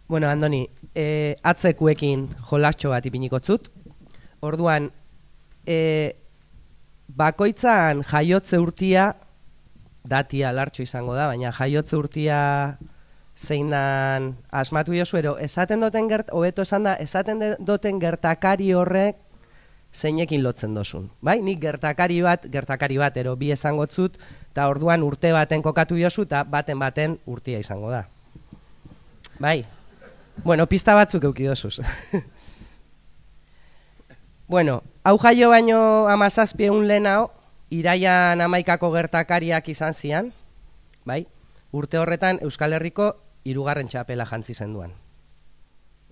Bueno, Andoni, atzekuekin jolatxo bat ipiniko zut. Orduan, bakoitzan jaiotze urtia, datia lartxo izango da, baina jaiotze urtia zeinan asmatu jozu, ero esaten doten gertakari horrek zeinekin lotzen dozun. Bai, nik gertakari bat, ero bi esango zut, eta orduan urte baten kokatu jozu, eta baten urtia izango da. Bai, bueno, pista batzuk eukidozuz. Bueno, hau jaio baino 17 lehenao, iraian 11ko gertakariak izan zian, bai? Urte horretan Euskal Herriko 3. txapela jantzi zenduan.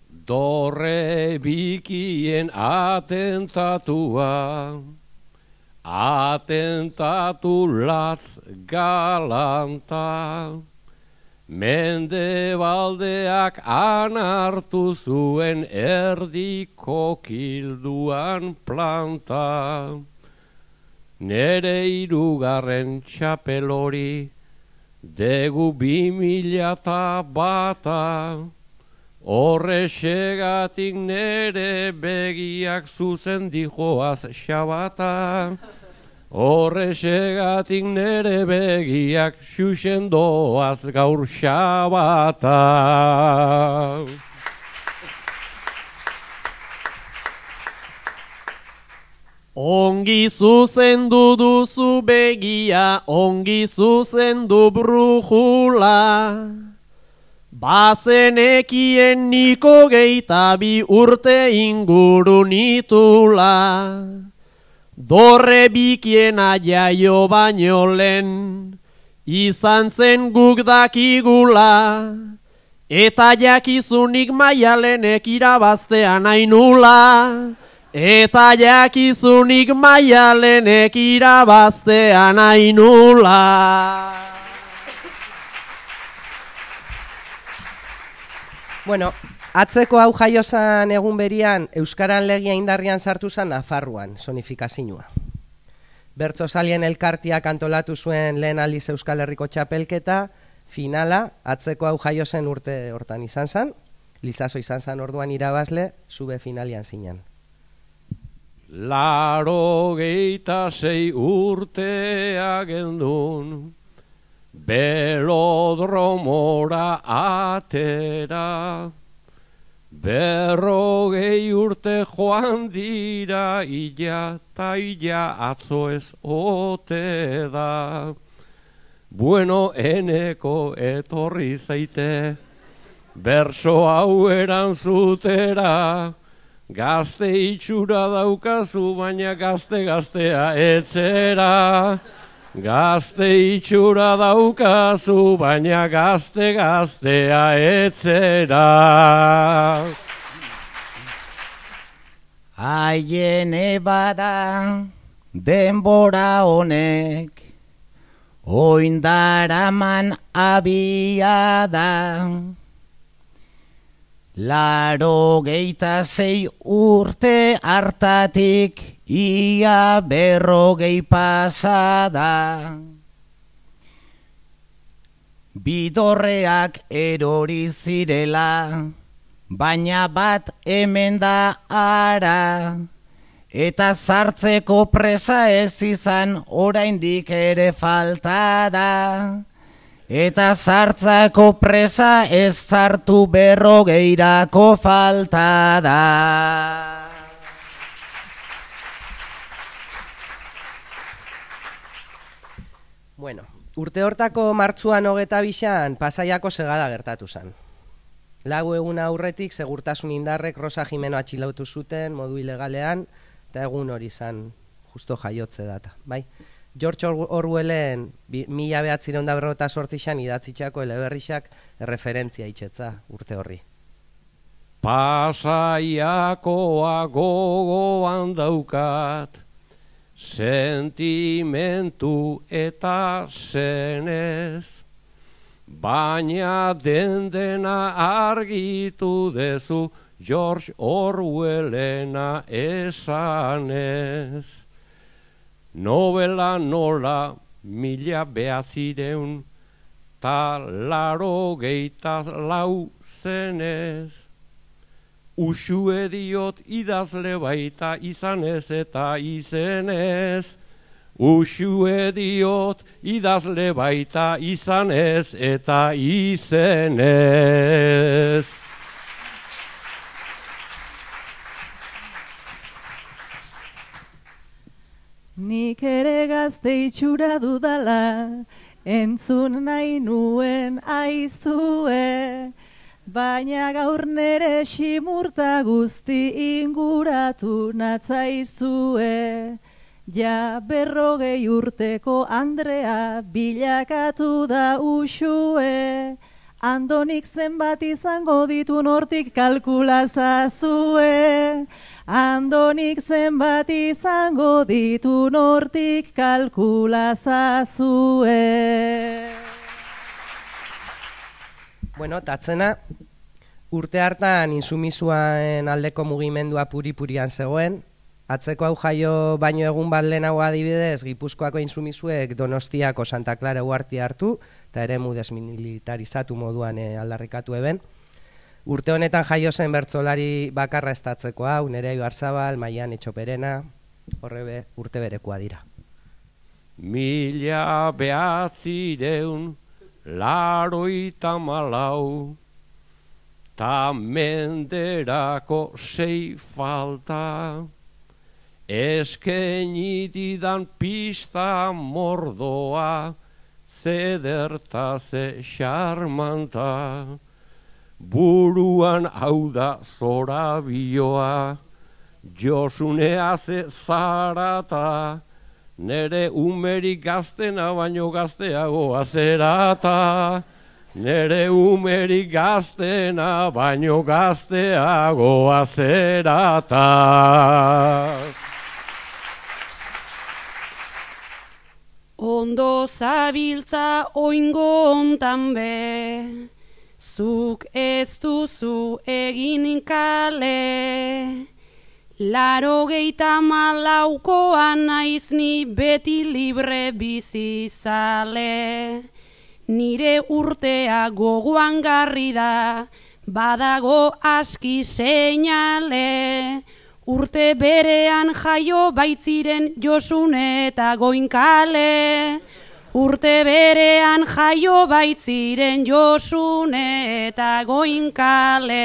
Dorre bikien atentatua, atentatu latz galanta, Mendebaldeak anartu zuen erdiko kilduan planta. Nere 3. txapelori degu 2001. Horrexegatik nere begiak zuzen dijoaz xabata. Horrexegatik nere begiak xuxen doaz gaur xabata. Ongi zuzendu duzu begia, ongi zuzendu brujula. Bazenekien niko 22 urte inguru nitula. Dorre bikiena jaio baino lehen, izan zen guk dakigula, eta jakizunik Maialenek irabaztean ainula. Eta jakizunik Maialenek irabaztean ainula. Bueno, atzeko hau jaiozan egun berian, Euskaran legia indarrian sartu zen Nafarroan, sonifikazioa. Bertsosalien elkartiak antolatu zuen lehen aldiz Euskal Herriko txapelketa, finala, atzeko hau jaiozen urte hortan izan zen, Lizaso izan zen orduan irabazle, zube finalian zinan. 86 urtea gendun, belodromora atera, 40 urte joan dira, illa ta illa atzo ez ote da. Bueno, eneko etorri zaite, berso hau erantzutera, gazte itxura daukazu, baina gazte-gaztea etzera. Gazte itxura daukazu, baina gazte-gaztea etzera. Haien ebada denbora honek, oindaraman abiada. 86 urte hartatik ia 40 pasada. Bidorreak erori zirela, baina bat hemen da ara. Eta sartzeko presa ez izan oraindik ere falta da. Eta sartzako presa ez sartu 40 falta da. Bueno, urte hortako martxuan 25an Pasaiako segada gertatu zen. Lau egun aurretik segurtasun indarrek Rosa Jimeno atxilotu zuten modu ilegalean, eta egun hori zen justo jaiotze data, bai? George Orwellen 1948an idatzitxako eleberrixak erreferentzia itxetza urte horri. Pasaiakoa gogoan daukat, sentimentu eta zenez, baina dendena argitu dezu George Orwellena esanez. Novela nola 1984 izenez. Usue diot idazle baita izanez eta izenez. Usue diot idazle baita izanez eta izenez. Nik ere gazte itxura dudala, entzun nahi nuen aizue, baina gaur nere simurta guzti inguratu natzaizue. Ja 40 urteko Andrea bilakatu da usue, Andonik zenbat izango ditu nortik kalkulazazue. Andonik zenbat izango ditu nortik kalkulazazue. Bueno, tatzena, urte hartan insumisuan aldeko mugimendua puri-purian zegoen. Atzeko hau jaio baino egun bat lehenago adibidez, Gipuzkoako insumisuek Donostiako Santa Clara uhartia hartu, eta eremu desmilitarizatu moduan aldarrikatu eben. Urte honetan jaio zen bertsolari bakarra estatzeko hau, Nerea Ibarzabal, Maian Etxoperena, horre urte berekoa dira. 1984 ta menderako 6 falta, eskenitidan pista mordoa, zederta ze xarmanta, buruan hau da zorabioa, Josunea ze zarata, nere umerik gaztena baino gazteagoa zerata, nere umerik gaztena baino gazteagoa zerata. Ondo zabiltza oingo ontan be, zuk ez duzu egin kale. 84koan naiz ni beti libre bizi zale. Nire urtea gogoan garri da, badago aski seinale. Urte berean jaio baitziren Josune eta Goinkale. Urte berean jaio baitziren Josune eta Goinkale.